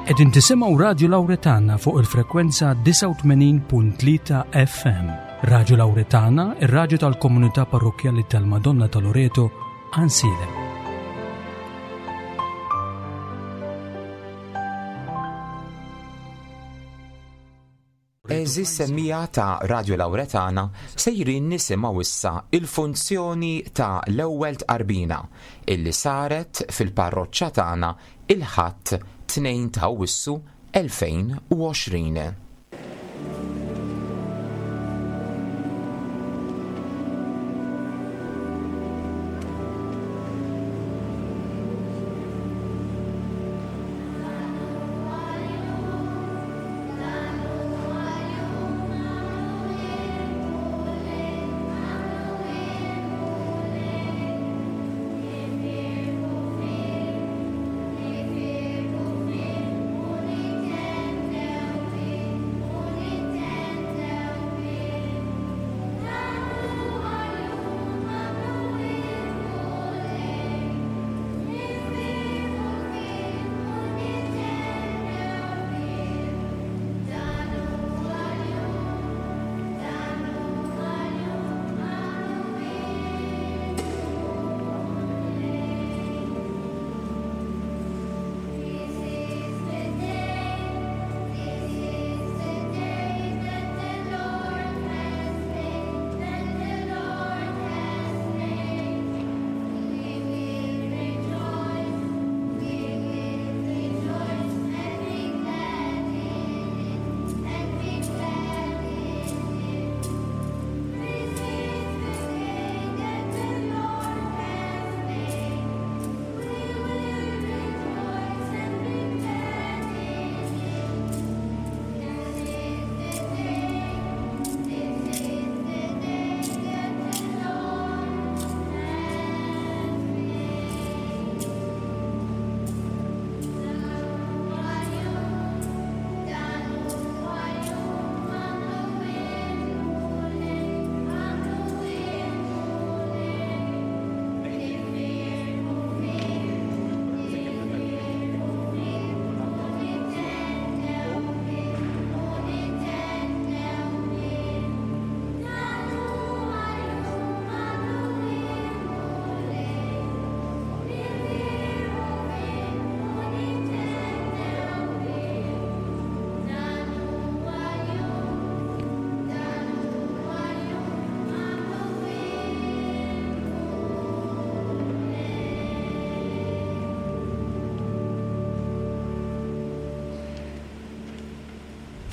Qegħdin tisimgħu Radju Lawretana fuq il-frekwenza 89.3 FM. Radju Lawretana, ir-radju tal-komunità parrokkjali tal-Madonna ta' Loreto, Ansilem. Għeżież semmiegħa ta' Radio Lauretana, sejrin nisimgħu issa il-funzjoni ta' l-ewwel tqarbina illi saret fil-parroċċa tagħna il-Ħadd 2 ta' Awwissu 2020.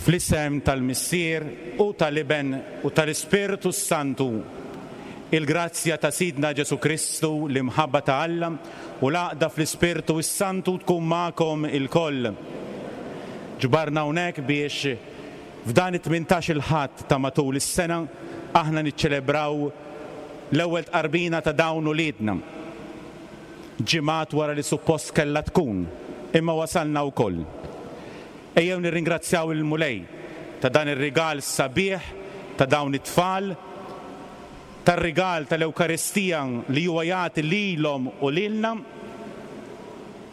Fl-isem tal-Missier u tal-Iben u tal-Ispirtu s-Santu, il-grazzja ta' Sidna Ġesù Kristu, l-imħabba ta' Alla u l-għaqda fl-Ispirtu s-Santu tkun magħkom ilkoll. Ġbarna hawnhekk biex f'dan it-tmintax-il Ħadd ta' matul is-sena aħna niċċelebraw l-ewwel tqarbina ta' dawn uliedna. Ġimgħat wara li suppost kellha tkun, imma wasalna wkoll. Ejjew nirringrazzjaw lill-Mulej ta' dan ir-rigal sabiħ ta' dawn it-tfal, tar-rigal tal-Ewkaristija li huwa jagħti lilhom u lilna,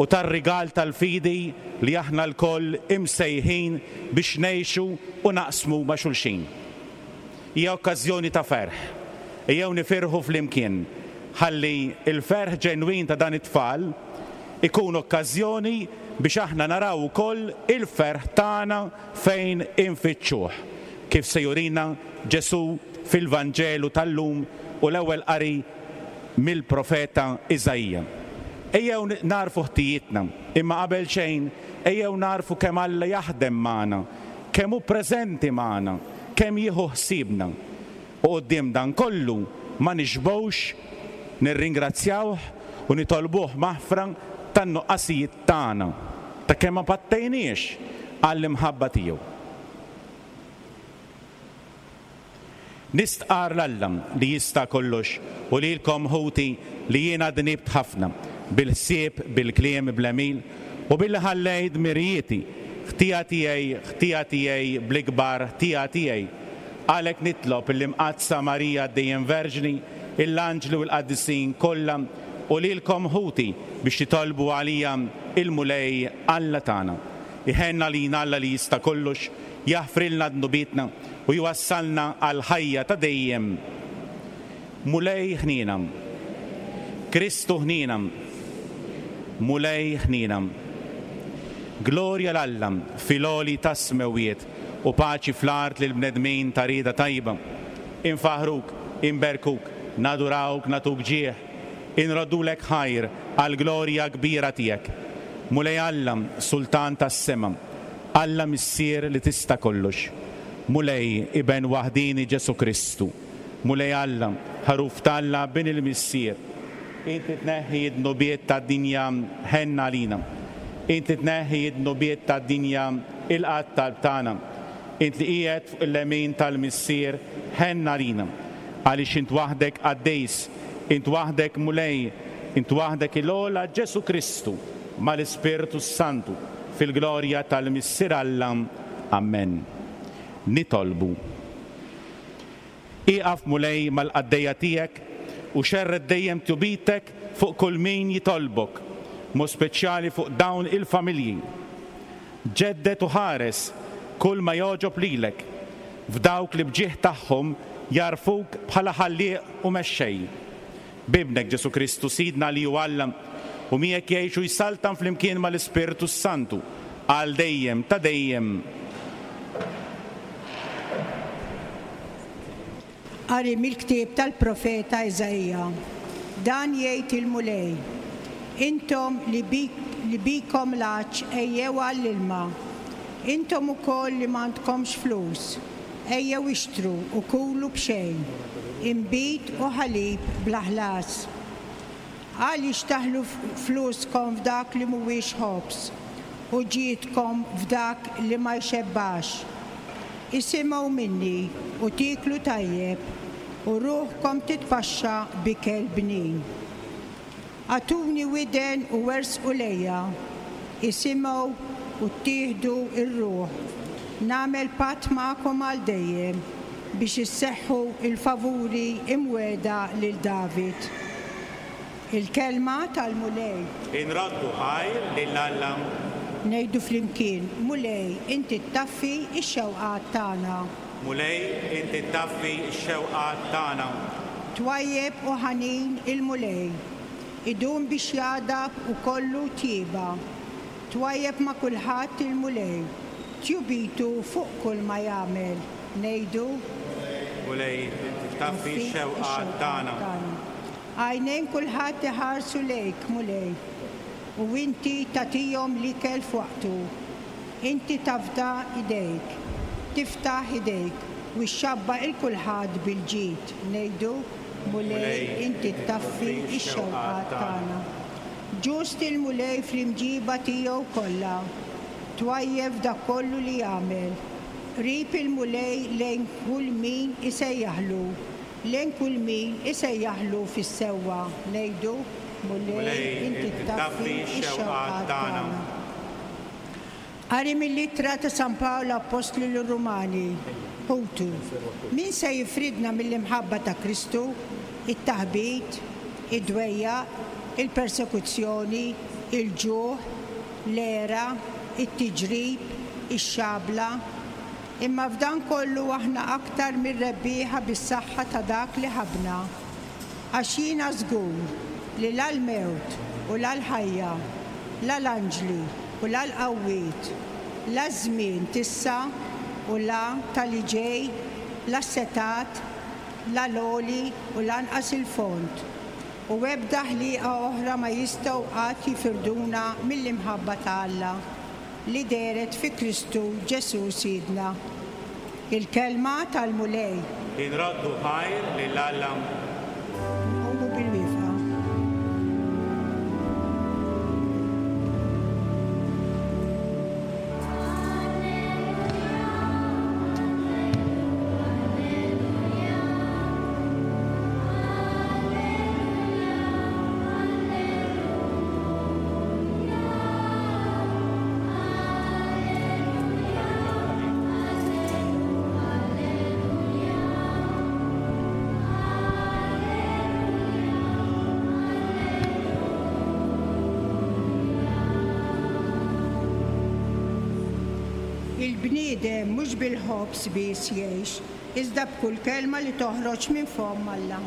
u tar-rigal tal-fidi li aħna lkoll imsejħin biex ngħixu u naqsmu ma' xulxin. Hija okkażjoni ta' ferħ. Ejjew nifirħu flimkien ħalli l-ferħ ġenwin ta' dan it-tfal ikun okkażjoni biex aħna naraw ukoll il-ferħ tagħna fejn infittxuh, kif se jurina Ġesù fil-Vanġelu tal-lum u l-ewwel qari mill-profeta Iżaija. Ejjew nagħrfu ħtijietna, imma qabel xejn ejjew nagħrfu kemm Alla jaħdem magħna, kemm hu preżenti magħna, kemm jieħu ħsiebna. U quddiem dan kollu ma nixbgħux nirringrazzjawh u nitolbuh maħfra tan-nuqqasijiet tagħna, ta' kemm ma pattejniex għall-imħabba tiegħu. Nistqarr 'l Alla li jista' kollox u lilkom ħuti li jiena dnibt ħafna, bil-ħsieb, bil-kliem, bl-għemil, u billi ħallejt dmirijieti, ħtija tiegħi, ħtija tiegħi, bl-ikbar ħtija tiegħi. Għalhekk nitlob lill-Imqaddsa Marija dejjem Verġni, l-anġli u l-qaddisin kollha, u lilkom ħuti biex titolbu għalija il-Mulej Alla tagħna. Iħenn għalina Alla li jista' kollox, jaħfrilna dnubietna u jwassalna għall-ħajja ta' dejjem. Mulej ħniena. Kristu ħniena. Mulej ħniena. Glorja 'l Alla fil-għoli tas-smewwiet u paċi fl-art lill-bnedmin ta' rieda tajba. Infaħħruk, inberkuk, nadurawk, nagħtuk ġieħ, inroddulek ħajr għall-glorja kbira tiegħek. Mulej Alla, Sultan tas-sema, Alla Missier li tista' kollox. Mulej, Iben waħdieni Ġesù Kristu. Mulej Alla, Ħaruf t'Alla, Bin il-Missier, int li tneħħi d-dnubiet tad-dinja, ħenn għalina. Int li tneħħi d-dnubiet tad-dinja, ilqa' t-talb tagħna. Int li qiegħed fuq il-lemin tal-Missier, ħenn għalina. Għaliex int waħdek qaddis, int waħdek Mulej, int waħdek il-ogħla Ġesù Kristu, mal-Ispirtu s-Santu, fil-glorja tal-Missier Alla. Ammen. Nitolbu. Ieqaf, Mulej, mal-qaddejja tiegħek u xerred dejjem tjubitek fuq kull min jitolbok, b'mod speċjali fuq dawn il-familji. Ġedded u ħares kull ma jogħġob lilek f'dawk li b'ġieħ tagħhom jagħrfuk bħala Ħallieq u Mexxej. B'Ibnek Ġesù Kristu Sidna li hu Alla u miegħek jgħix u jsaltan flimkien mal-Ispirtu s-Santu għal dejjem ta' dejjem. Qari mill-ktieb tal-profeta Iżaija. Dan jgħid il-Mulej, Intom li li bikom l-għatx ejjew għall-ilma. Intom ukoll li m'għandkomx flus, Ejjew ixtru u kulu b'xejn, inbid u ħalib bla ħlas. Għaliex taħlu fluskom f'dak li mhuwiex ħobż, u ġidkom f'dak li ma jxebbax? Isimgħu minni u tieklu tajjeb, u ruħkom titpaxxa b'ikel bnin. Agħtuni widen u ersqu lejja, isimgħu u ttieħdu r-ruħ. Nagħmel patt magħkom għal dejjem biex isseħħu l-favuri imwiegħda lil David. Il-kelma tal-Mulej. Inroddu ħajr lil Alla. Ngħidu flimkien, Mulej, inti ttaffi x-xewqat tagħna. Mulej, inti ttaffi x-xewqat tagħna. Twajjeb u ħanin il-Mulej, idum biex jagħdab u kollu tjieba. Twajjeb ma' kulħadd il-Mulej, tjubitu fuq kull ma jagħmel. Ngħidu. Mulej, inti ttaffi x-xewqat tagħna. Għajnejn kulħadd iħarsu lejk, Mulej, u inti tagħtihom l-ikel f'waqtu. Inti tafda idejk, tiftaħ idejk, u xxabba' 'l kulħadd bil-ġid. Ngħidu, Mulej, inti ttaffi x-xewqat tagħna. Ġust il-Mulej fl-imġiba tiegħu kollha, twajjeb f'dak kollu li jagħmel. Qrib il-Mulej lejn kull min isejjaħlu, lejn kull min isejjaħlu fis-sewwa. Ngħidu, Mulej, inti ttaffi x-xewqat tagħna. Qari mill-Ittra ta' San Pawl Appostlu lir-Rumani, Ħutu, min se jifridna mill-imħabba ta' Kristu? It-taħbit, id-dwejjaq, il-persekuzzjoni, il-ġuħ, l-għera, it-tiġrib, ix-xabla? Imma f'dan kollu aħna aktar mir-rebbieħa bis-saħħa ta' dak li ħabbna. Għax jiena żgur li la l-mewt u la l-ħajja, la l-anġli u la l-qawwiet, la ż-żmien t'issa u la ta' li ġej, la s-setgħat, la l-għoli u lanqas il-fond, u ebda ħliqa oħra ma jistgħu qatt jifirduna mill-imħabba ta' Alla li dehret fi Kristu Ġesù Sidna. Il-Kelma tal-Mulej. Inroddu ħajr lil Alla. Nqumu bil-wieqfa. Il-bniedem mhux bil-ħobż biss jgħix, iżda b'kull kelma li toħroġ minn fomm Alla.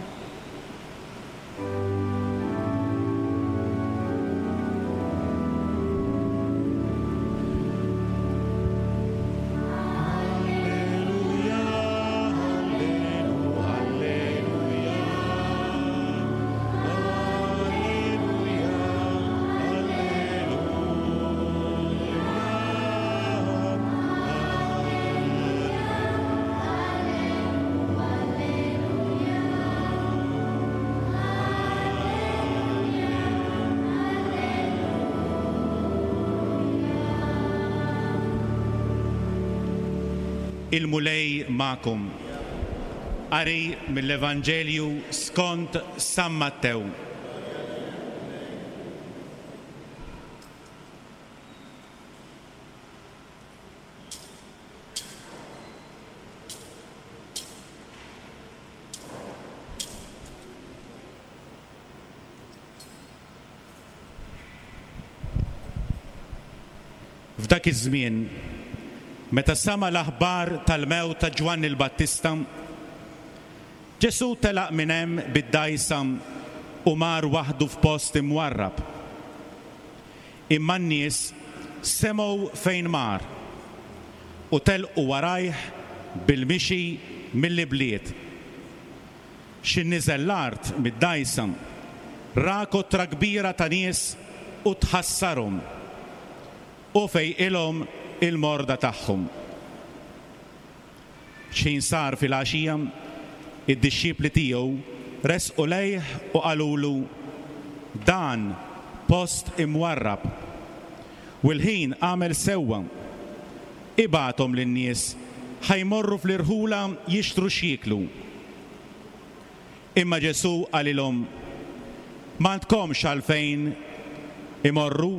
Il-Mulej magħkom. Qari mill-Evanġelju skont San Mattew. F'dak iż-żmien, meta sama' l-aħbar tal-mewt ta' Ġwanni l-Battista, Ġesù telaq minn hemm bid-dgħajsa u mar waħdu f'post imwarrab. Imma n-nies semgħu fejn mar u telqu warajh bil-mixi mill-ibliet. Xi niżel l-art mid-dgħajsa, ra kotra kbira ta' nies u tħassarhom, u fejqilhom il-morda tagħhom. X'ħin sar filgħaxija, id-dixxipli tiegħu resqu lejh u qalulu, Dan post imwarrab, u l-ħin għamel sewwa. Ibgħathom lin-nies ħa jmorru fl-irħula jixtru x'jieklu. Imma Ġesù qalilhom, M'għandkomx għalfejn imorru,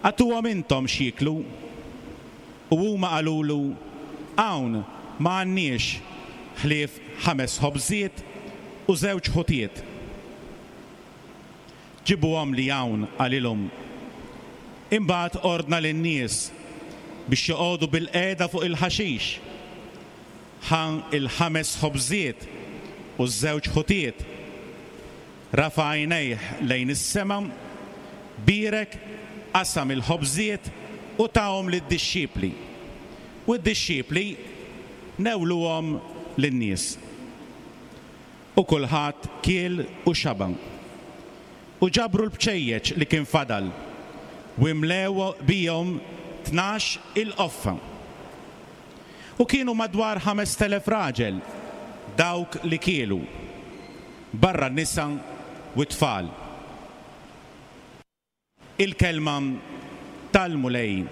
agħtuhom intom x'jieklu. U huma qalulu, Hawn ma għandniex ħlief ħames ħobżiet u żewġ ħutiet. Ġibuhomli hawn, qalilhom. Imbagħad ordna lin-nies biex joqogħdu bilqiegħda fuq il-ħaxix. Ħa l-ħames ħobżiet u ż-żewġ ħutiet, rafa' għajnejh lejn is-sema, bierek, qasam il-ħobżiet u tahom lid-dixxipli, u d-dixxipli newluhom lin-nies. U kulħadd kiel u xaba'. U ġabru l-bċejjeċ li kien fadal, u imlew bihom 12 il-qoffa. U kienu madwar 5,000 raġel dawk li kielu, barra n-nisa u t-tfal. Il-Kelma tal-Mulej.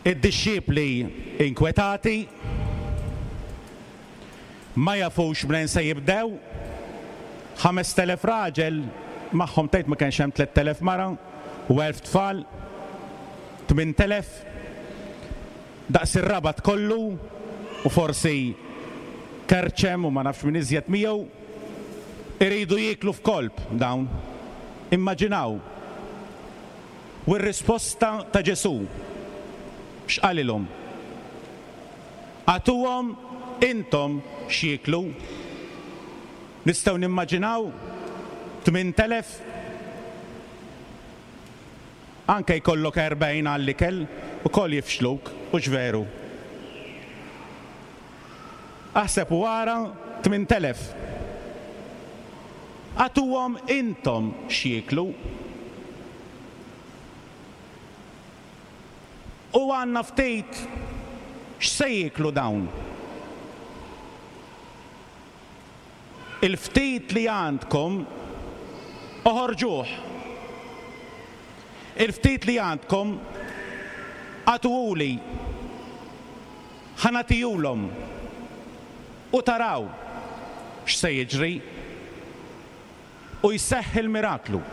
Id-dixxipli inkwetati, ma jafux mnejn se jibdew, 5,000 raġel, magħhom tgħid ma kienx hemm 3,000 mara u 1,000 tfal, 8,000, daqs ir-Rabat kollu u forsi Kerċem u ma nafx min iżjed miegħu, iridu jieklu f'kolp dawn. Immaġinaw. U r-risposta ta' Ġesù, x'qalilhom? Agħtuhom intom x'jieklu. Nistgħu nimmaġinaw 8,000? Anke jkollok 40 għall-ikel, ukoll jifxluk, hux veru? Aħseb u ara 8,000. Agħtuhom intom x'jieklu. U għandna ftit, x'se jieklu dawn? Il-ftit li għandkom oħorġuh. Il-ftit li għandkom agħtuhuli. Ħa nagħtihulhom u taraw x'se jiġri. U jseħħ il-miraklu.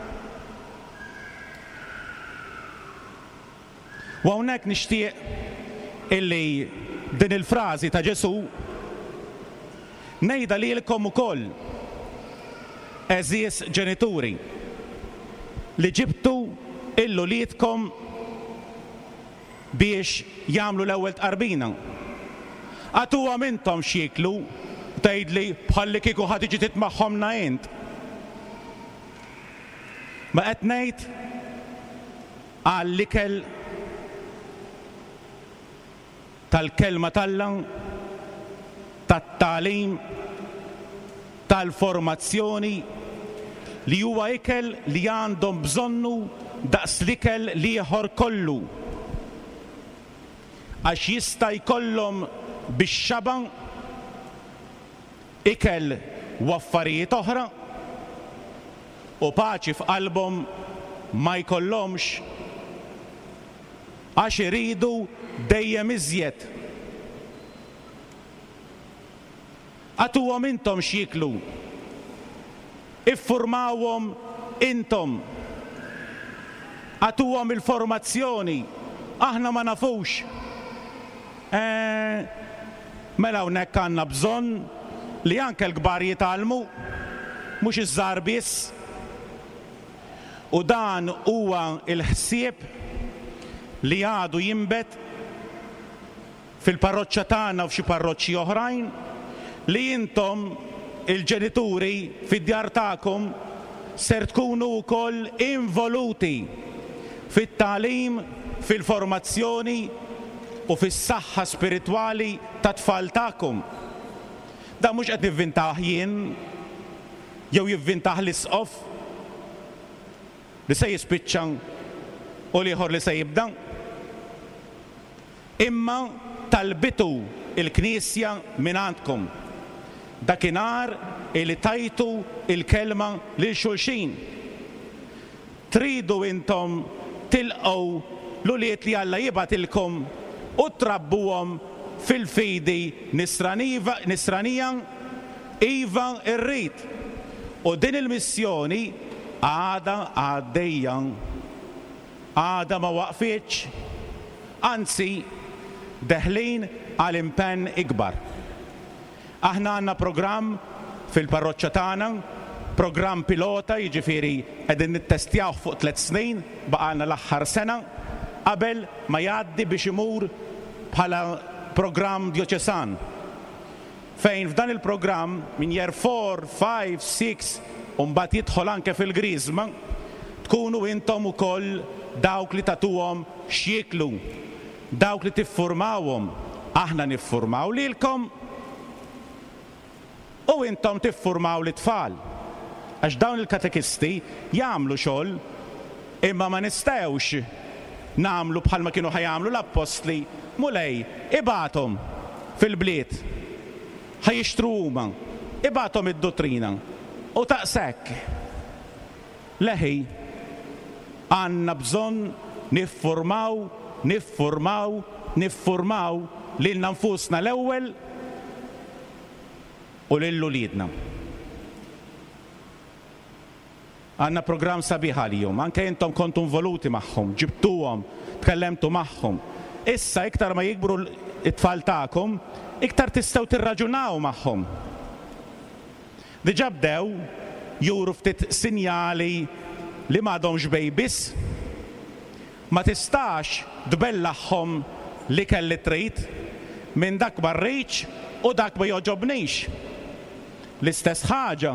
U hawnhekk nixtieq illi din il-frażi ta' Ġesù ngħidha lilkom ukoll, għeżież ġenituri, li ġibtu 'l uliedkom biex jagħmlu l-ewwel tqarbina. Agħtuhom intom x'jieklu, tgħidli bħallikieku ħa tiġi titmagħhomlna int. Ma qed ngħid għall-ikel tal-Kelma t'Alla, tat-tagħlim, tal-formazzjoni, li huwa ikel li għandhom bżonnu daqs l-ikel l-ieħor kollu. Għax jista' jkollhom bix-xaba' ikel u affarijiet oħra, u paċi f'qalbhom ma jkollhomx għax iridu dejjem iżjed. Agħtuhom intom x'jieklu. Iffurmawhom intom. Agħtuhom il-formazzjoni. Aħna ma nafux. Eh, mela hawnhekk għandna bżonn li anke l-kbar jitgħallmu, mhux iż-żgħar biss. U dan huwa l-ħsieb li għadu jinbet fil-parroċċa tagħna u f'xi parroċċi oħrajn, li intom, il-ġenituri, fid-djar tagħkom ser tkunu wkoll involuti fit-tagħlim, fil-formazzjoni u fis-saħħa spiritwali tat-tfal tagħkom. Dan mhux qed nivvintah jien jew jivvintah l-Isqof li se jispiċċa u l-ieħor li se jibda. Imma talbitu l-Knisja mingħandkom, dakinhar li tajtu l-kelma lil xulxin. Tridu intom tilqgħu l-ulied li Alla jibgħatilkom u trabbuhom fil-fidi nisranija? Iva, irrid! U din il-missjoni għadha għaddejja. Għadha ma waqfitx, anzi deħlin għal impenn ikbar. Aħna għandna programm fil-parroċċa tagħna, programm pilota jiġifieri qegħdin nittestjawh fuq tlett snin, baqgħalna l-aħħar sena qabel ma jgħaddi biex imur bħala programm djoċesan. Fejn f'dan il-programm minn year 4, 5, 6 u mbagħad jidħol anke fil-Griżma, tkunu intom ukoll dawk li tagħtuhom x'jieklu, dawk li tiffurmawhom, aħna niffurmaw lilkom u intom tiffurmaw lit-tfal. Għax dawn il-katekisti jagħmlu xogħol imma ma nistgħux nagħmlu bħalma kienu ħa jagħmlu l-appostli, Mulej, ibgħathom fil-bliet, ħa jixtru huma, ibgħathom id-duttrina. U daqshekk. Leħi, għandna bżonn niffurmaw, niffurmaw, niffurmaw lilna nfusna l-ewwel u lil uliedna. Għandna programm sabiħ għalihom. Anke intom kontu involuti magħhom, ġibtuhom, tkellemtu magħhom. Issa iktar ma jikbru t-tfal tagħkom, iktar tistgħu tirraġunaw magħhom. Diġà bdew juru ftit sinjali li m'għadhomx babies. Ma tistax tbellagħhom l-ikel li trid, minn dak ma rridx u dak ma jogħġobnix. L-istess ħaġa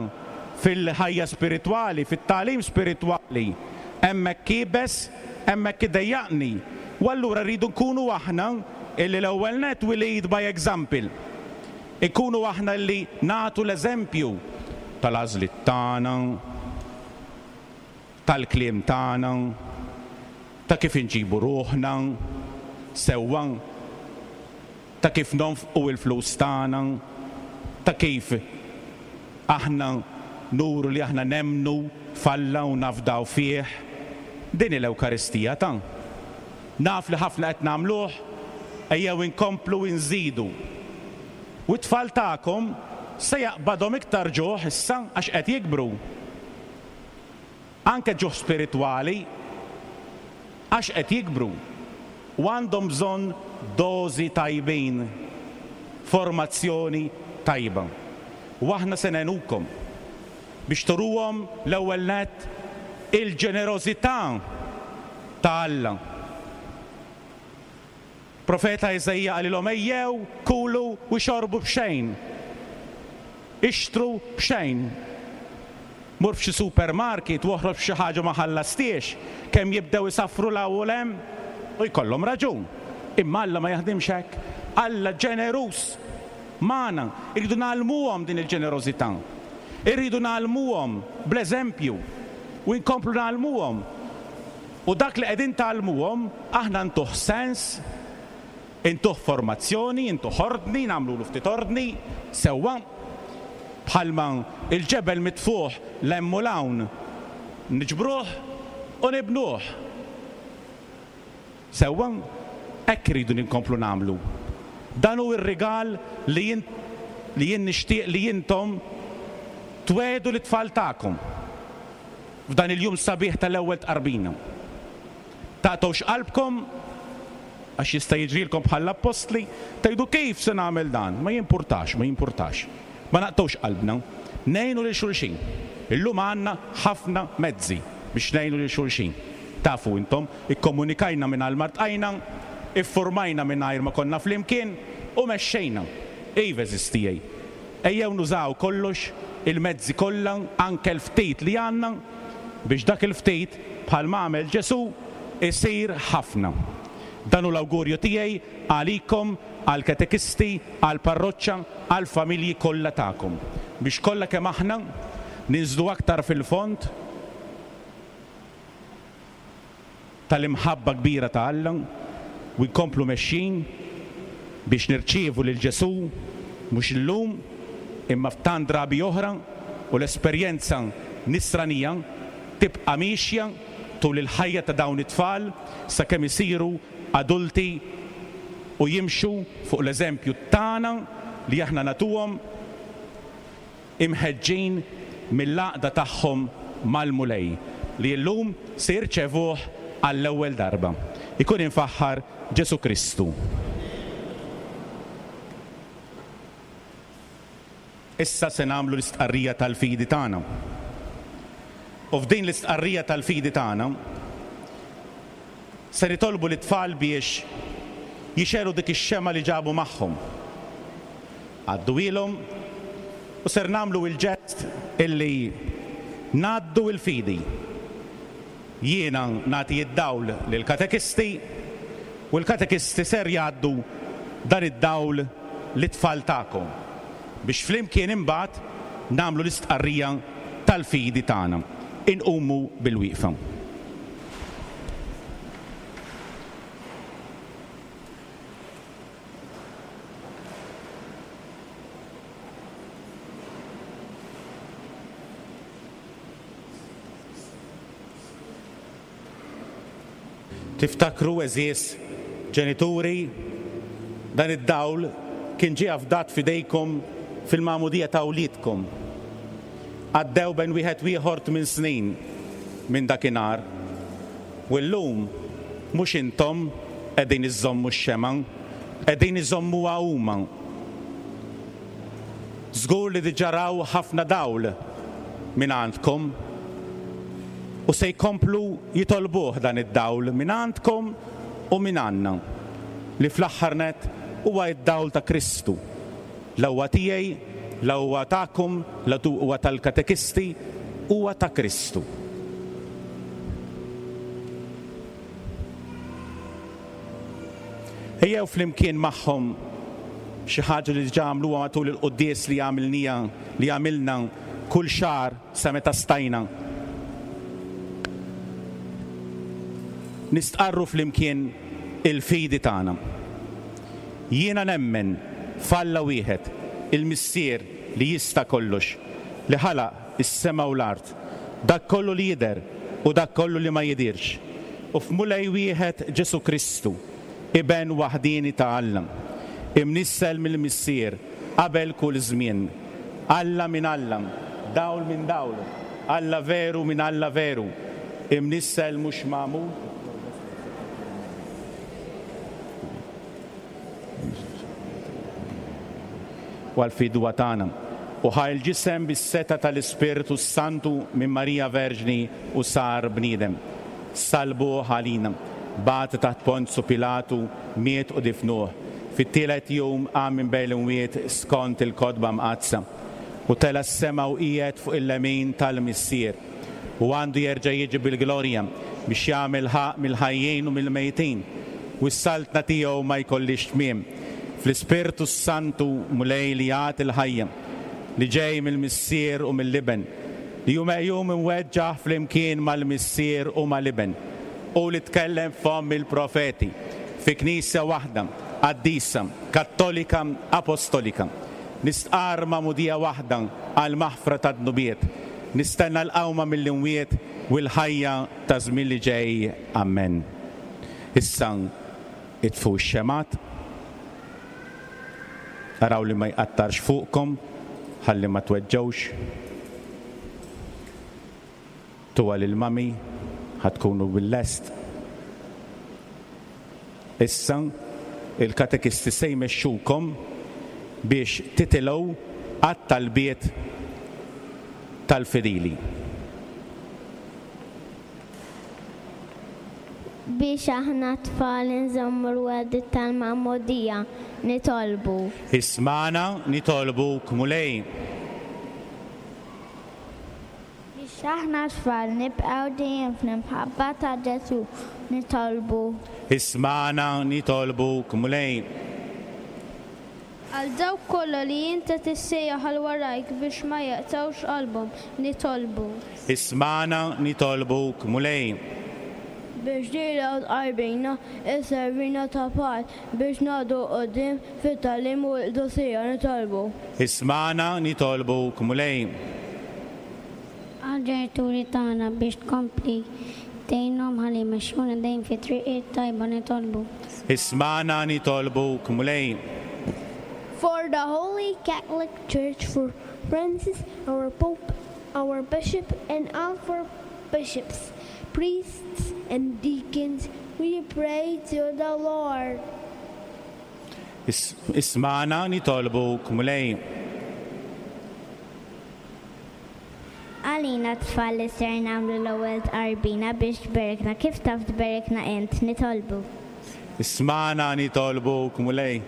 fil-ħajja spiritwali, fit-tagħlim spiritwali. Hemmhekk iebes, hemmhekk idejjaqni. U allura rridu nkunu aħna illi l-ewwel nett we lead by example. Inkunu aħna illi nagħtu l-eżempju tal-għażliet tagħna, tal-kliem tagħna, ta' kif inġibu ruħna sewwa, ta' kif nonfqu l-flus tagħna, ta' kif aħna nuru li aħna nemmnu f'Alla u nafdaw fih. Din hi l-Ewkaristija ta'. Naf li ħafna qed nagħmluh, ejjew inkomplu inżidu. U t-tfal tagħkom se jaqbadhom iktar ġuħ issa għax qed jikbru. Anke ġuħ spiritwali għax qed jikbru. U għandhom bżonn dożi tajbin, formazzjoni tajba. U aħna se ngħinukom biex turuhom l-ewwel nett il-ġenerożità ta' Alla. Profeta Iżaija qalilhom, Ejjew, kulu u xorbu b'xejn. Ixtru b'xejn. Mur f'xi supermarket u oħroġ b'xi ħaġa ma ħallastiex, kemm jibdew isaffru 'l hawn u 'l hemm, u jkollhom raġun. Imma Alla ma jaħdimx hekk. Alla ġeneruż magħna. Irridu ngħallmuhom din il-ġenerożità. Irridu ngħallmuhom bl-eżempju u nkomplu ngħallmuhom. U dak li qegħdin tgħallmuhom, aħna ntuh sens, intuh formazzjoni, intuh ordni, nagħmlulu ftit ordni, sewwa, bħalma l-ġebel mitfugħ 'l hemm u 'l hawn, niġbruh u nibnuh. Sewwa, hekk irridu nkomplu nagħmlu. Dan hu r-rigal li jien li jien nixtieq li intom twiegħdu lit-tfal tagħkom. F'dan il-jum sabiħ tal-Ewwel Tqarbina. Taqtgħux qalbkom, għax jista' jiġrilkom bħall-appostli, tgħidu kif se nagħmel dan? Ma jimpurtax, ma jimpurtax. Ma naqtgħux qalbna. Ngħinu lil xulxin. Illum għandna ħafna mezzi biex ngħinu lil xulxin. Tafu intom, ikkomunikajna mingħajr ma ltqajna, iffurmajna mingħajr ma konna flimkien u mexxejna. Iva għeżież tiegħi, Ejjew nużaw kollox, il-mezzi kollha, anke l-ftit li għandna, biex dak il-ftit, bħalma għamel Ġesù, isir ħafna. Dan hu l-awgurju tiegħi għalikom, għall-katekisti, għall-parroċċa, għall-familji kollha tagħkom, biex kollha kemm aħna ninżlu aktar fil-fond tal-imħabba kbira ta' Alla u nkomplu mexjin biex nirċievu lil Ġesù mhux illum imma f'tant drabi oħra u l-esperjenza nisranija tibqa' miexja tul il-ħajja ta' dawn it-tfal sakemm isiru adulti u jimxu fuq l-eżempju tagħna li aħna nagħtuhom imħeġġin mill-għaqda tagħhom mal-Mulej, li llum se jirċevuh għall-ewwel darba. Ikun imfaħħar Ġesù Kristu. Issa se nagħmlu l-istqarrija tal-fidi tagħna. U f'din l-istqarrija tal-fidi tagħna se nitolbu lit-tfal biex jixegħlu dik ix-xemgħa li ġabu magħhom. Għadduhielhom u ser nagħmlu il-ġest illi ngħaddu il-fidi. Jiena nagħti id-dawl lill-katekisti u l-katekisti ser jgħaddu dan id-dawl lit-tfal tagħkom biex flimkien imbagħad nagħmlu l-istqarrija tal-fidi tagħna. Inqumu bil-wieqfa. Tiftakru, għeżież ġenituri, dan id-dawl kien ġie afdat f'idejkom fil-magħmudija ta' wliedkom. Għaddew bejn wieħed u ieħor tminn snin minn dakinhar. U llum mhux intom qegħdin iżżommu x-xemgħa, qegħdin iżommuha huma. Żgur li diġà raw ħafna dawl mingħandkom u se jkomplu jitolbuh dan id-dawl mingħandkom u mingħandna, li fl-aħħar nett huwa d-dawl ta' Kristu. La huwa tiegħi, la huwa tagħkom, la huwa tal-katekisti, huwa ta' Kristu. Ejjew flimkien magħhom xi ħaġa li diġà għamluha matul il-quddies li għamilniha li għamilna kull xahar sa meta stajna. Nistqarru flimkien il-fidi tagħna. Jiena nemmen f'Alla wieħed, il-Missier li jista' kollox, li ħalaq is-sema u l-art, dak kollu li jidher u dak kollu li ma jidhirx, u f'Mulej wieħed Ġesù Kristu, Iben waħdieni ta' Alla, imnissel mill-Missier qabel kull żmien, Alla minn Alla, dawl minn dawl, Alla veru minn Alla veru, imnissel mhux magħmul. u għall-fidwa tagħna, u ħa l-ġisem bis-setgħa tal-Ispirtu s-Santu minn Marija Verġni u sar bniedem. Sallbuh għalina, bagħtu taħt Ponzu Pilatu, miet u difnuh. Fit-tielet jum qam minn bejn l-imwiet skont il-Kotba Mqaddsa, u tela' s-sema u qiegħed fuq il-lemin tal-Missier. U għandu jerġa' jiġi bil-glorja biex jagħmel ħaqq mill-ħajjin u mill-mejtin, u s-saltna tiegħu ma jkollhiex tmiem. Fl-Ispirtu s-Santu, Mulej li jagħti l-ħajja, li ġej mill-Missier u mill-Iben, li hu meqjum imweġġaħ flimkien mal-Missier u mal-Iben, hu li tkellem f'fomm il-profeti, fi Knisja waħda, qaddisa, kattolika, apostolika. Nistqarr magħmudija waħda għall-maħfra tad-dnubiet. Nistenna l-qawma mill-imwiet u l-ħajja taż-żmien li ġej. Ammen. Issa itfu x-xemgħat. Araw li ma jqattarx fuqkom ħalli ma tweġġgħux. Tuha lil mummy ħa tkunu bil-lest. Issa il-katekisti se jmexxukom biex titilgħu għat-talbiet tal-fidili. Biex aħna t-tfal inżommu l-wegħdiet tal-magħmudija, nitolbu. Ismagħna, nitolbuk, Mulej. Biex aħna t-tfal nibqgħu dejjem fl-imħabba ta' Ġesù, nitolbu. Ismagħna, nitolbuk, Mulej. Għal dawk kollha li int qed issejjaħ għal warajk biex ma jaqtgħux qalbhom, nitolbu. Ismagħna, nitolbuk, Mulej. Biex lilha u tqarbina isservina ta' patt biex ngħaddu 'l quddiem fit-tagħlim u l-qdusija, nitolbu. Ismagħna, nitolbuk, Mulej. Għall-ġenituri tagħna biex tkompli tgħinhom ħalli jmexxuna dejjem fit-triq it-tajba, nitolbu. Ismagħna nitolbuk, Mulej. For the Holy Catholic Church, for Francis, our Pope, our Bishop, and all for bishops, priests, and deacons, we pray to the Lord. Ismagħna nitolbuk, Mulej. Għalina t-tfal li ser nagħmlu l-ewwel tqarbina biex tberikna kif taf tberikna int, nitolbu. Ismagħna nitolbuk, Mulej.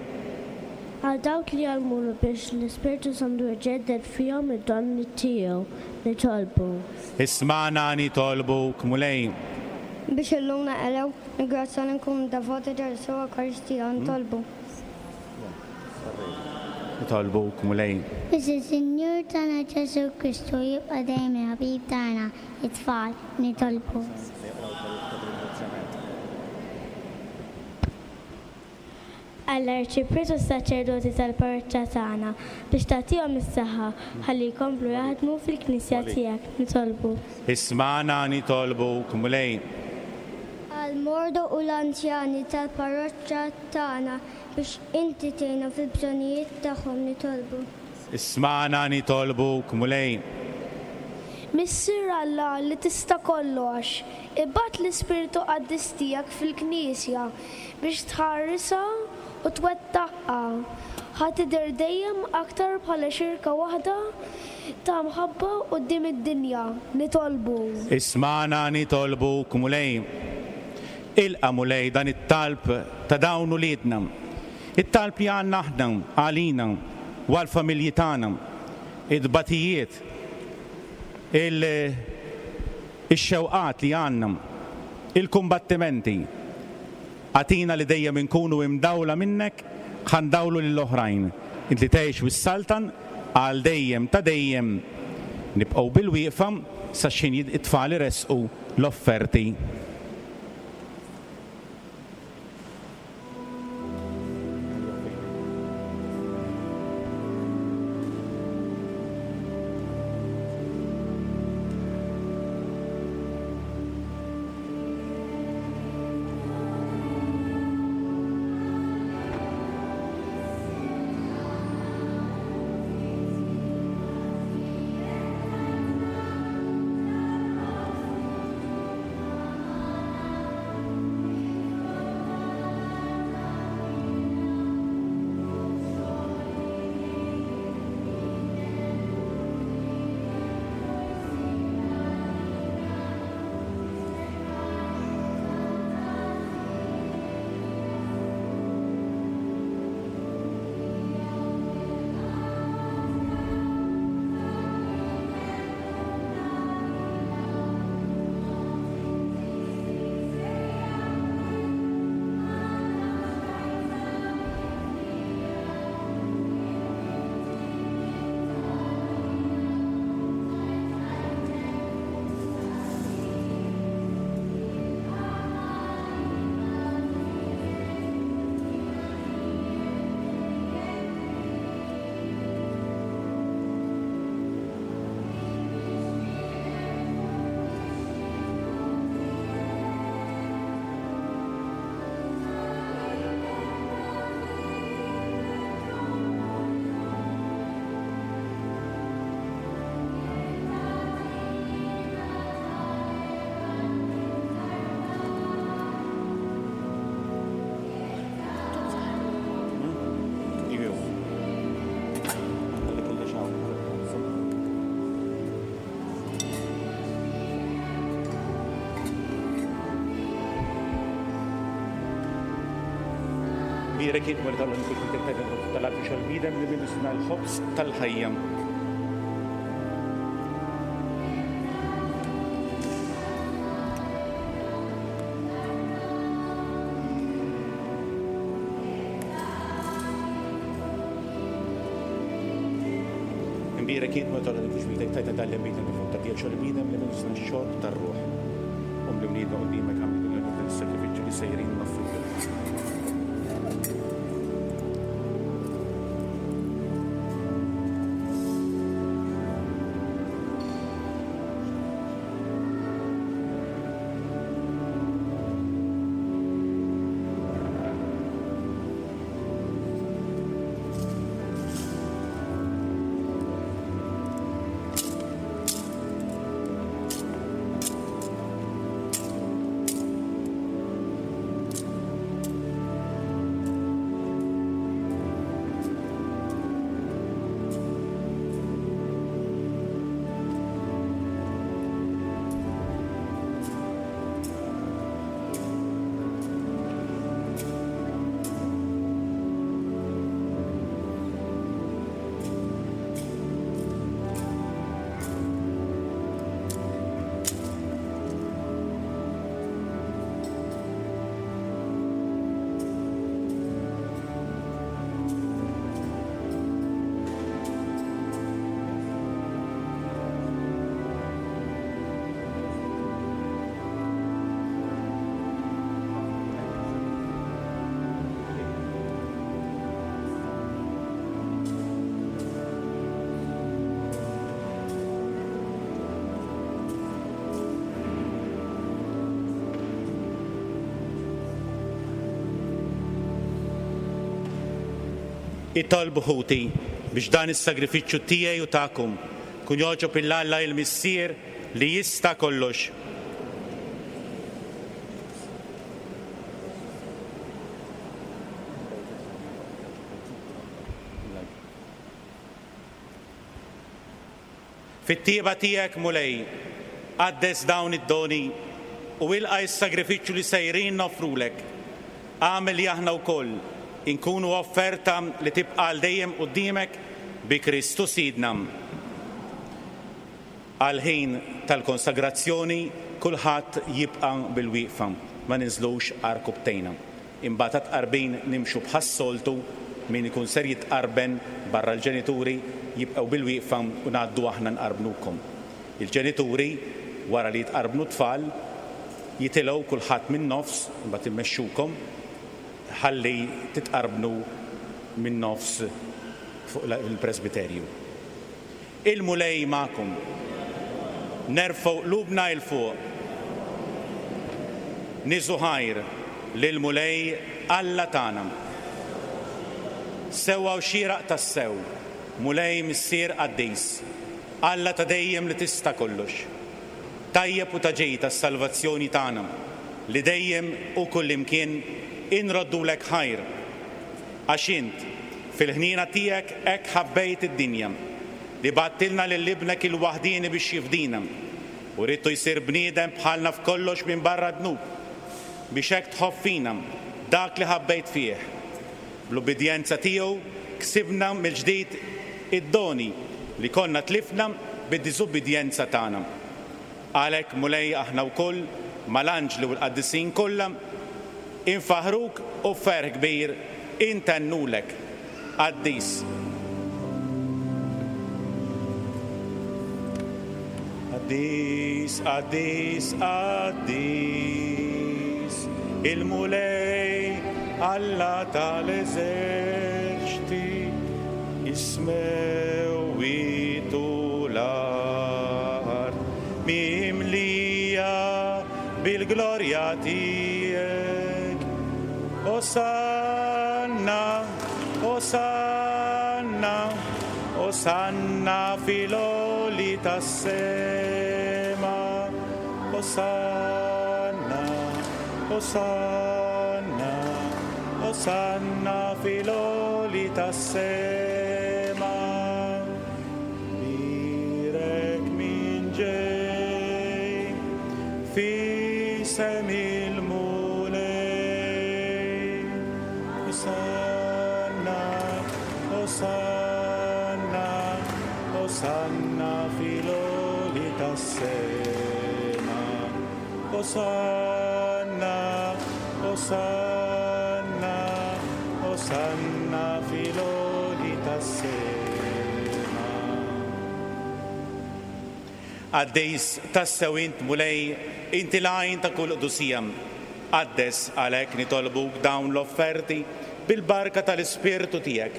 Għal dawk li jgħallmuna biex l-Ispirtu Santu jġedded fihom id-doni tiegħu, nitolbu. Ismagħna nitolbuk, Mulej. Biex illum naqilgħu l-grazzja li nkunu devoti ta' Ġesù Ewkaristija, nitolbu. Nitolbuk, Mulej. Biex is-Sinjur tagħna Ġesù Kristu jibqa' dejjem il-ħabib tagħna, it-tfal, nitolbu. Għall-Arċipriet u s-saċerdoti tal-parroċċa tagħna, biex tagħtihom is-saħħa ħalli jkomplu jaħdmu fil-Knisja tiegħek, nitolbu. Ismagħna, nitolbuk, Mulej. Għall-morda u l-anzjani tal-parroċċa tagħna, Biex inti tgħinhom fil-bżonnijiet tagħhom nitolbu. Ismagħna nitolbuk, Mulej. Missier Alla li tista' kollox, ibgħat l-Ispirtu Qaddis tiegħek fil-Knisja biex tħarisha u twettaqha, ħa tidher dejjem aktar bħala xirka waħda ta' mħabba quddiem id-dinja. Nitolbu. Ismagħna nitolbuk, Mulej. Ilqa', Mulej, dan it-talb ta' dawn uliedna, it-talb li għandna aħna għalina u għall-familji tagħna, it-tbatijiet, ix-xewqat li għandna, il-kumbattimenti. Agħtina li dejjem inkunu imdawla minnek ħa ndawlu lill-oħrajn. Int li tgħix u ssaltan għal dejjem ta' dejjem. Nibqgħu bilwieqfa sa x'ħin it-tfal iressqu l-offerti. Bierek int Mulej tal-uniku xbietek tal-għadu xal-bniedem li minnu sna l-ħobż tal-ħajja. Imbierek int Mulej tal-uniku xbietek tajta tal-bniedem li fuq ta' xal-bniedem li minnu sna x-xorb tar-ruħ. Um li wliedna quddiemek għamlu dan is-sagrifiċċju li sejrin noffrulek. Itolbu ħuti biex dan is-sagrifiċċju tiegħi u tagħkom kun jogħġob 'il Alla il-Missier li jista' kollox. Fit-tjieba tiegħek, Mulej, qaddes dawn id-doni u ilqa' s-sagrifiċċju li sejrin noffrulek. Agħmel li aħna wkoll inkunu offerta li tibqa' għal dejjem quddiemek bi Kristu Sidna. Għall-ħin tal-konsagrazzjoni kulħadd jibqa' bil-wieqfa, ma ninżlux għarkupptejna. Imbagħad għat-tqarbin nimxu bħas-soltu, min ikun ser jitqarben barra l-ġenituri jibqgħu bil-wieqfa u ngħaddu aħna nqarbnukom. Il-ġenituri, wara li jitqarbnu t-tfal, jitilgħu kulħadd min-nofs, imbagħad immexxukom ħalli titqarbnu min-nofs fuq il-presbiterju. Il-Mulej magħkom. Nerfgħu qlubna 'l fuq. Niżu ħajr lill-Mulej Alla tagħna. Sewwa u xieraq tassew, Mulej Missier qaddis, Alla ta' dejjem li tista' kollox. Tajjeb u ta' ġid għas-salvazzjoni tagħna, li dejjem u kullimkien inroddulek ħajr. Għax int, fil-ħniena tiegħek hekk ħabbejt id-dinja, li bgħattilna lil Ibnek il-waħdieni biex jifdina, u ridtu jsir bniedem bħalna f'kollox minbarra d-dnub, biex hekk tħobb fina dak li ħabbejt fih. Bl-ubbidjenza tiegħu ksibna mill-ġdid id-doni li konna tlifna bid-diżubbidjenza tagħna. Għalhekk, Mulej, aħna wkoll, mal-anġli u l-qaddisin kollha, infaħħruk u b'ferħ kbir intennulek, Qaddis. Qaddis, qaddis, qaddis, il-Mulej Alla tal-eżerċti, is-smewwiet u l-art mimlija bil-glorja tiegħek. Osanna, Osanna, Osanna fil-għoli tas-sema. Osanna, Osanna, Osanna fil-għoli tas-sema. Bierek min ġej f'isem il-Mulej. Osanna. Osanna, Osanna, Osanna fil-għoli tas-sema. Qaddis tassew int, Mulej, inti l-għajn ta' kull qdusija. Qaddes għalhekk nitolbuk dawn l-offerti bil-barka tal-Ispirtu tiegħek,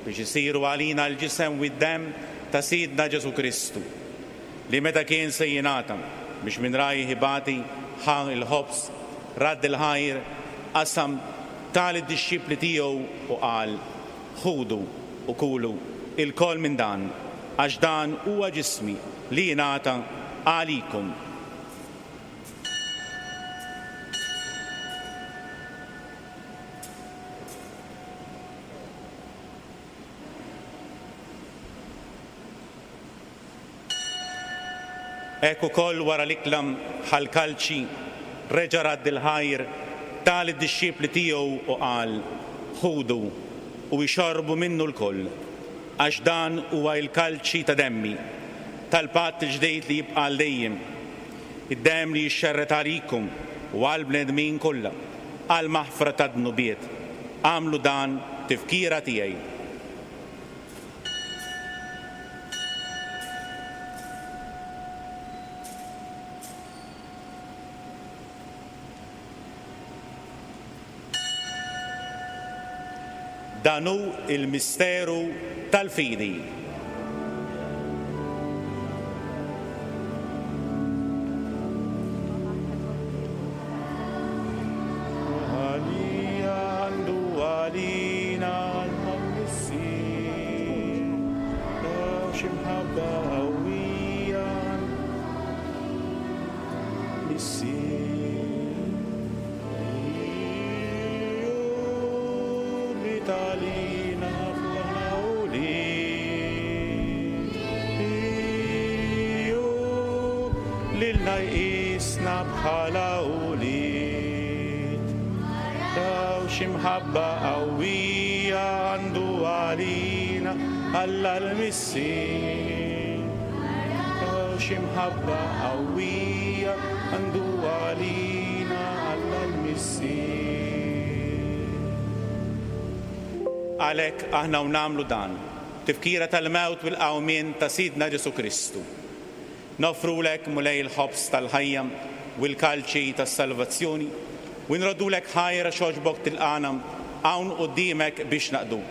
biex isiru għalina l-ġisem u d-demm ta' Sidna Ġesù Kristu, li meta kien se jingħata biex minn rajh ibati, ħa l-ħobż, radd il-ħajr, qasam, ta lid-dixxipli tiegħu u qal, Ħudu u kulu ilkoll minn dan, għax dan huwa ġismi li jingħata għalikom. Hekk ukoll wara l-ikla ħa l-kalċi, reġa' radd il-ħajr, ta lid-dixxipli tiegħu u qal, Ħudu u ixorbu minnu lkoll, għax dan huwa l-kalċi ta' demmi, tal-patt il-ġdid li jibqa' għal dejjem, id-demm li jixxerred għalikom u għall-bnedmin kollha, għall-maħfra tad-dnubiet. Agħmlu dan b'tifkira tiegħi. Dan hu l-misteru tal-fidi. Għalija għandu għalina Alla l-Missier, għax imħabba qawwija Missier. Li talina f'aħna ulied. Iju lilna jqisna bħala ulied. Raw x'imħabba qawwija għandu għalina Alla l-Missier. Raw x'imħabba qawwija għandu għalina Alla l-Missier. Għalhekk aħna u nagħmlu dan, tifkira tal-mewt u l-qawmien ta' Sidna Ġesù Kristu. Noffrulek, Mulej, il-ħobż tal-ħajja u l-kalċi tas-salvazzjoni, u nroddulek ħajr għax għoġbok tilqagħna hawn quddiemek biex naqduk.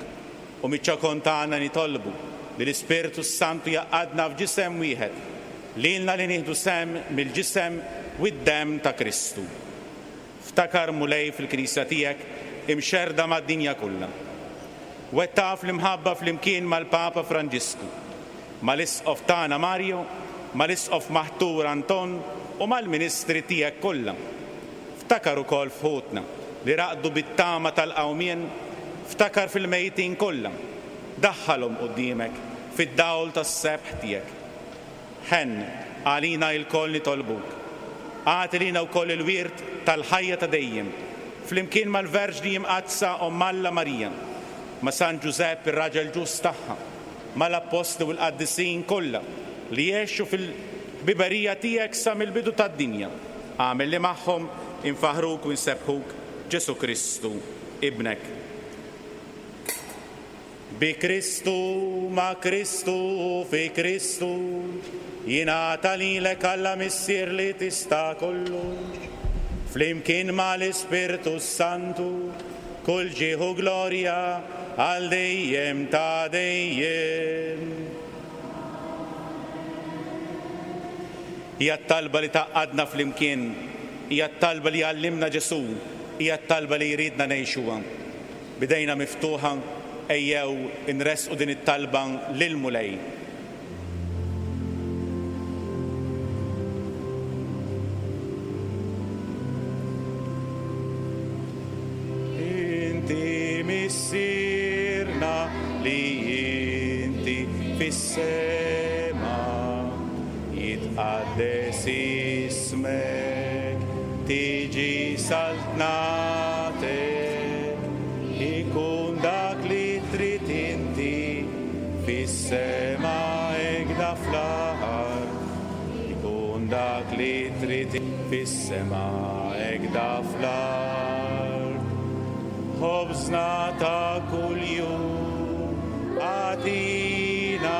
U miċ-ċokon tagħna nitolbu li l-Ispirtu s-Santu jgħaqqadna f'ġisem wieħed, lilna li nieħdu sehem mill-ġisem u d-demm ta' Kristu. Ftakar, Mulej, fil-Knisja tiegħek imxerrda mad-dinja kollha. Wettaqha fl-imħabba flimkien mal-Papa Franġisku, mal-Isqof tagħna Mario, mal-Isqof maħtur Anton u mal-ministri tiegħek kollha. Ftakar ukoll f'ħutna li raqdu bit-tama tal-qawmien, ftakar fil-mejtin kollha, daħħalhom quddiemek fid-dawl tas-sebħ tiegħek. Ħenn għalina ilkoll nitolbuk. Agħti lilna wkoll il-wirt tal-ħajja ta' dejjem, flimkien mal-Verġni Imqaddsa Omm Alla Marija, ma' San Ġużepp ir-raġel ġust tagħha, mal-Appostli u l-qaddisin kollha li għexu fil-ħbiberija tiegħek sa mill-bidu tad-dinja. Agħmel li magħhom infaħħruk u nsebbħuk, Ġesù Kristu, Ibnek. Bi Kristu, ma' Kristu u fi Kristu, jingħata lilek Alla Missier li tista' kollox, flimkien ma' l-Ispirtu s-Santu, kull ġieħ u glorja għal dejjem ta' dejjem. Hija t-talba li tgħaqqadna flimkien, hija t-talba li għallimna Ġesù, hija t-talba li jridna ngħixuha. B'idejna miftuħa, ejjew inressqu din it-talba lill-Mulej. Inti Missierna li inti fis-sema, jitqaddes ismek, tiġi saltnatek, ikun dak li trid inti fis-sema hekda fl-art. Ikun dak li trid. Fis-sema hekda fl-art. Ħobżna ta' kuljum agħtina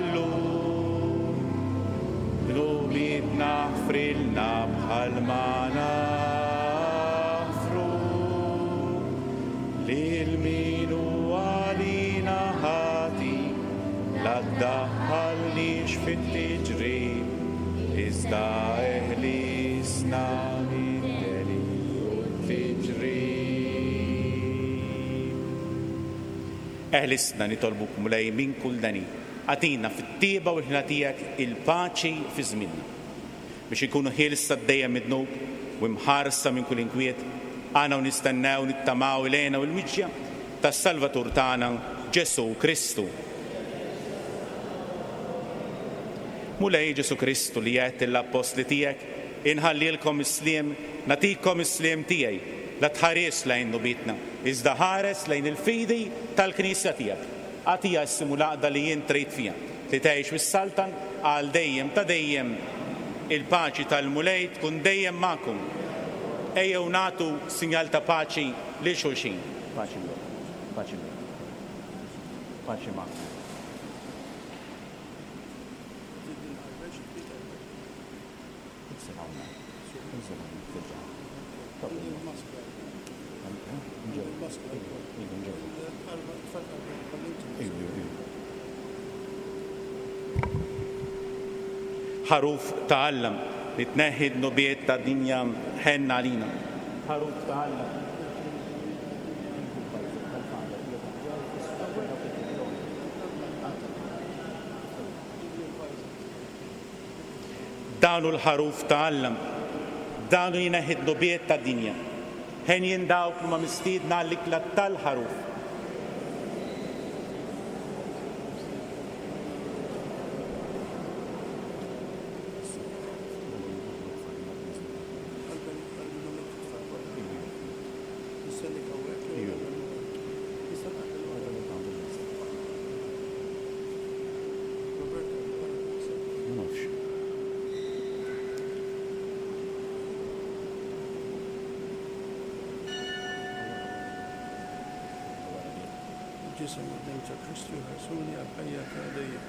llum. Dnubietna ħfrilna bħalma naħfru lil min hu għalina ħati. La ddaħħalniex fit-tiġrib, iżda eħlisna mid-deni u t-tiġrib. Eħlisna nitolbuk Mulej minn kull deni. Agħtina fit-tjieba u l-ħniena tiegħek il-paċi fi żmienna, biex inkunu ħielsa dejjem mid-dnub u imħarsa minn kull inkwiet, aħna u nistennew nittamaw il-hena u l-miġja tas-Salvatur tagħna Ġesù Kristu. Mulej Ġesù Kristu li għedt lill-appostli tiegħek, Inħallilkom is-sliem, nagħtikom is-sliem tiegħi, la tħarisx lejn dnubietna, iżda ħares lejn il-fidi tal-Knisja tiegħek. Agħtiha s-sliem u l-għaqda li int trid fiha, li tgħix u ssaltan għal dejjem ta' dejjem. Il-paċi tal-Mulej tkun dejjem magħkom. Ejjew nagħtu sinjal ta' paċi lil xulxin. Paċi miegħek. Paċi miegħek. Paċi magħkom. Ħaruf ta' Alla li tneħħi d-dnubiet tad-dinja, ħenn għalina. Ħaruf ta' Alla. Dan hu l-Ħaruf ta' Alla, dan hu jneħħi d-dnubiet tad-dinja. Henjin dawk li huma mistiedna għall-ikla tal-Ħaruf. Il-Ġisem u d-Demm ta' Kristu jħarsuni għall-ħajja ta' dejjem.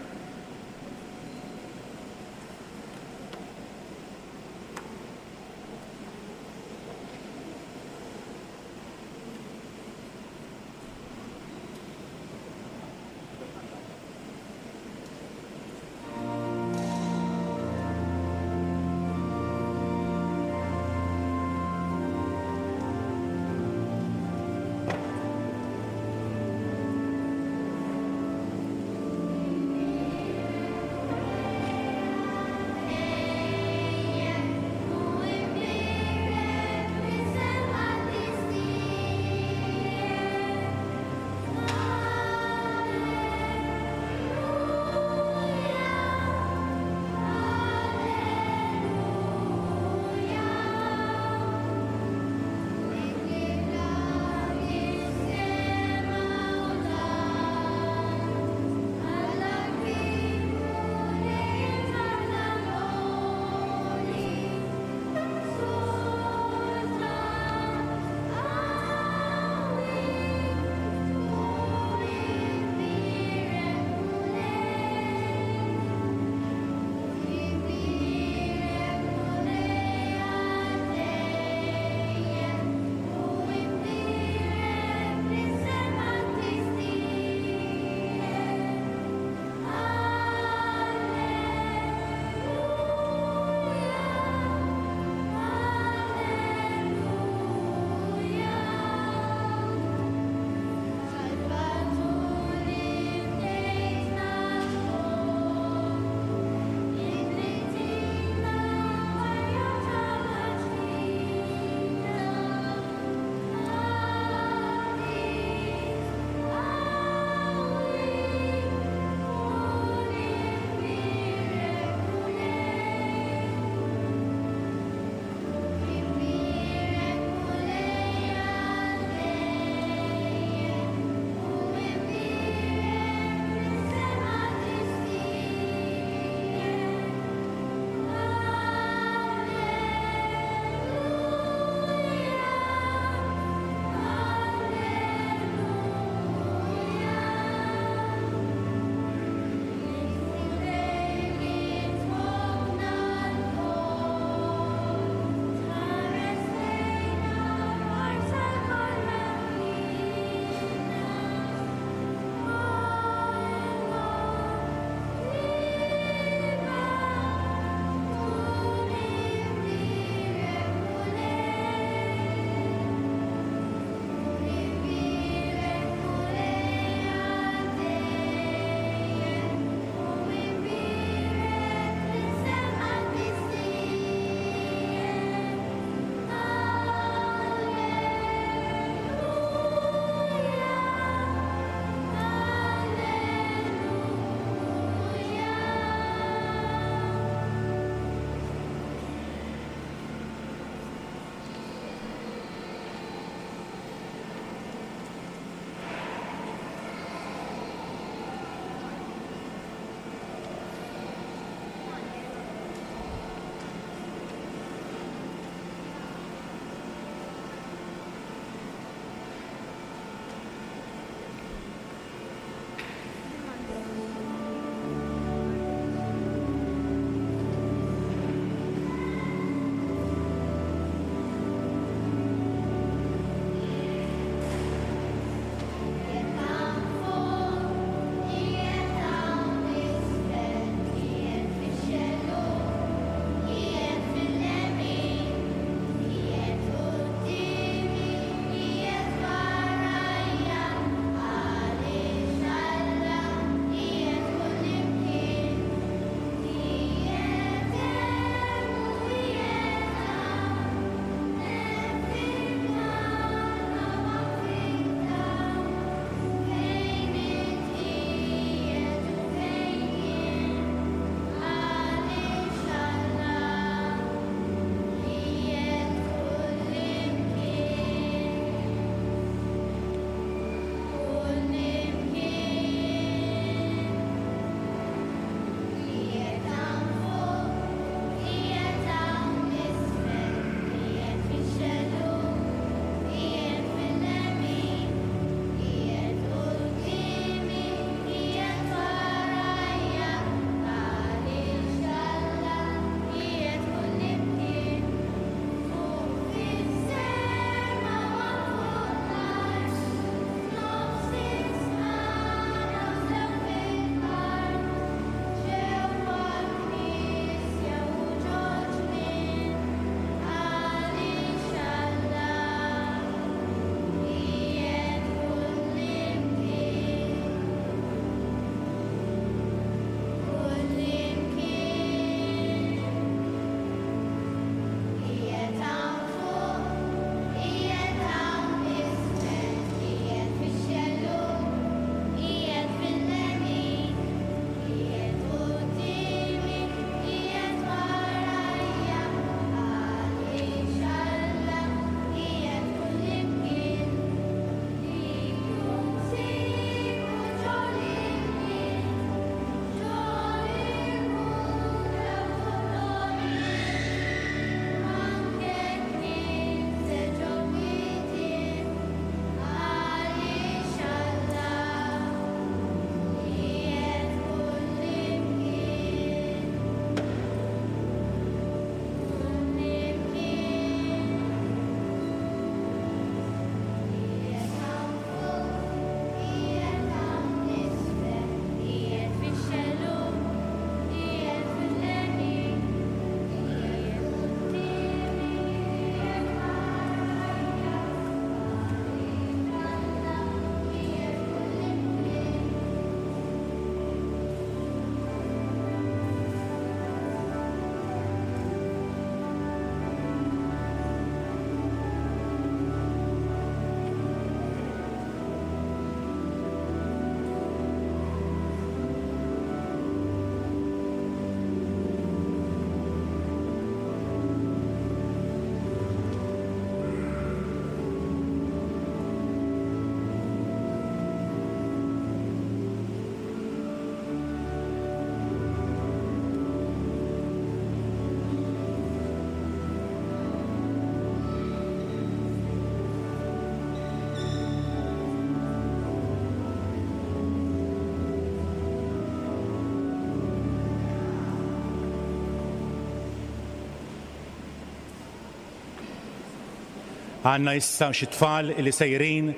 Għandna issa xi tfal li sejrin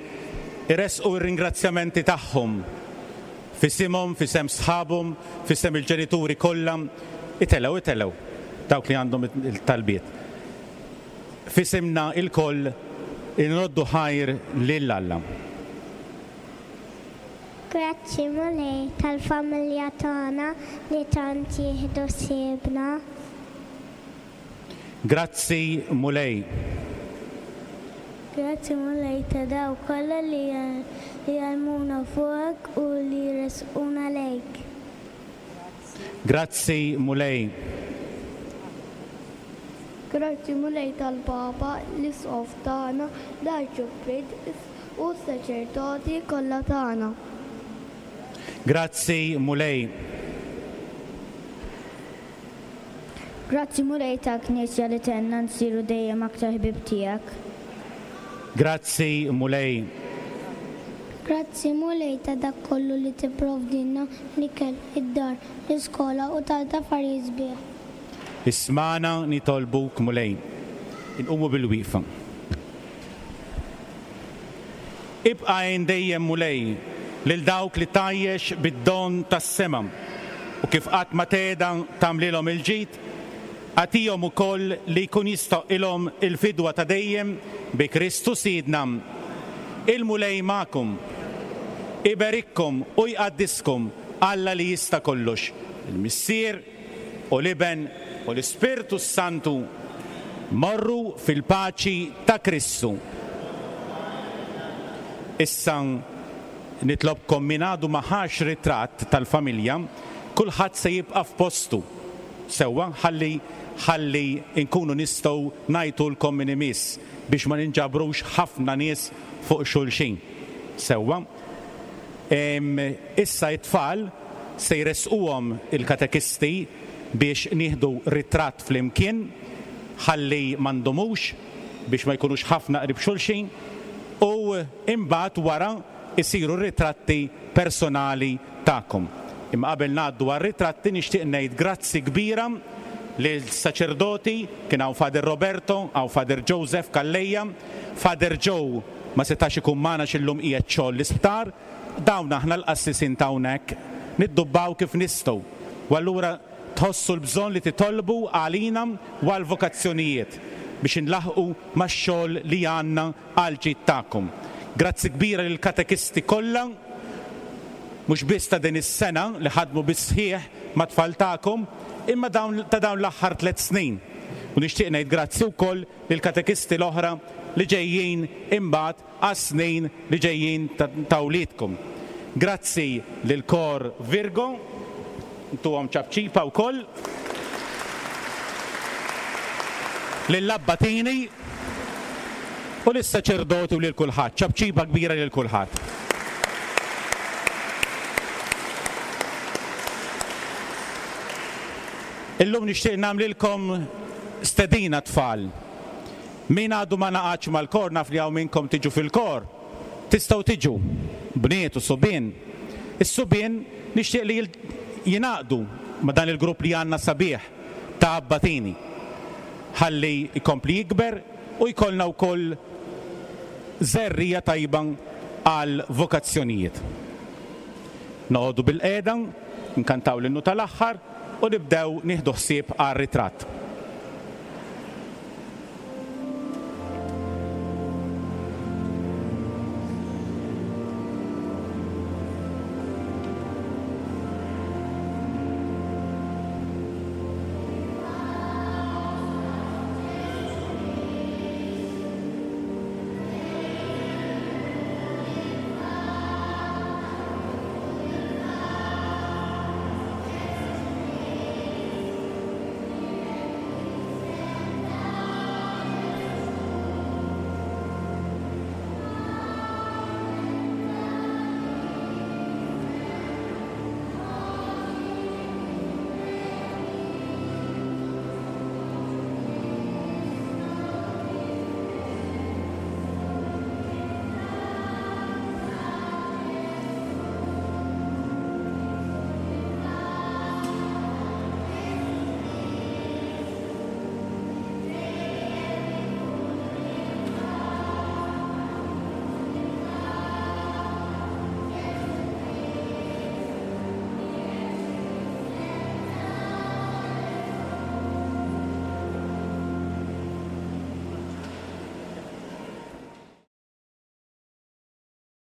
iressqu r-ringrazzjamenti tagħhom f'isimhom, f'isem sħabhom, f'isem il-ġenituri kollha. Itelgħu, itelgħu, dawk li għandhom it-talbiet. F'isimna lkoll inroddu ħajr lil Alla. Grazzi Mulej tal-familja tagħna li tant jieħdu ħsiebna. Grazzi Mulej. Grazzi Mulej ta' dawk kollha li jgħallmuna fuqek u li jressquna lejk. Grazzi Mulej. Grazzi Mulej tal-Papa, l-Isqof tagħna, l-Arċipriet u s-saċerdoti kollha tagħna. Grazzi Mulej. Grazzi Mulej tal-Knisja li tgħinna nsiru dejjem aktar ħbieb tiegħek. Grazzi Mulej. Grazzi Mulej ta' dak kollu li tipprovdilna, l-ikel, id-dar, l-iskola u tant affarijiet sbieħ. Ismagħna nitolbuk Mulej. Inqumu bil-wieqfa. Ibqa' għin dejjem, Mulej, lil dawk li tgħajjex bid-don tas-sema, u kif qatt ma tgħeda tagħmlilhom il-ġid, agħtihom ukoll li jkun jistoqqilhom il-fidwa ta' dejjem bi Kristu Sidna. Il-Mulej magħkom. Iberikkom u jqaddiskom Alla li jista' kollox, il-Missier, u l-Iben, u l-Ispirtu s-Santu, morru fil-paċi ta' Kristu. Issa nitlobkom min għadu ma ħax ritratt tal-familja, kulħadd se jibqa' f'postu. Sewwa, ħalli ħalli nkunu nistgħu ngħajtulkom min imiss biex ma ninġabrux ħafna nies fuq xulxin. Sewwa? Issa t-tfal se jressquhom il-katekisti biex nieħdu ritratt flimkien ħalli ma ndumux biex ma jkunux ħafna qrib xulxin u imbagħad wara jsiru r-ritratti personali tagħkom. Imma qabel ngħaddu għar-ritratti nixtieq ngħid grazzi kbira lis-saċerdoti, kien hawn Father Roberto, hawn Father Joseph Calleja, Father Joe ma setax ikun magħna għax illum qiegħed xogħol l-isptar, dawn aħna l-qassisin ta' hawnhekk niddubbaw kif nistgħu u allura tħossu l-bżonn li titolbu għalina u għall-vokazzjonijiet biex inlaħħqu max-xogħol li għandna għall-ġid tagħkom. Grazzi kbira lill-katekisti kollha, mhux biss ta' din is-sena li ħadmu bis-sħiħ mat-tfal tagħkom, imma dawn ta' dawn l-aħħar tlett snin. U nixtieq ngħid grazzi wkoll lill-katekisti l-oħra li ġejjin imbagħad għas-snin li ġejjin ta' wliedkom. Grazzi lill-Kor Virgo, ntuhom ċapċipa wkoll, lill-abbatini u lis-saċerdoti u lil kulħadd. Ċapċipa kbira lil kulħadd. Illum nixtieq nagħmlilkom stedina tfal. Min għadu ma ngħaqadx mal-kor naf li hawn minnkom tiġu fil-kor. Tistgħu tiġu, bniet u subien. Is-subien nixtieq li jingħaqdu ma' dan il-grupp li għandna sabiħ ta' abbatini. Ħalli jkompli jikber u jkollna wkoll żerriegħa tajba għal vokazzjonijiet. Noqogħdu bilqiegħda, nkantaw l-innu tal-aħħar u nibdew nieħdu ħsieb għar-ritratt.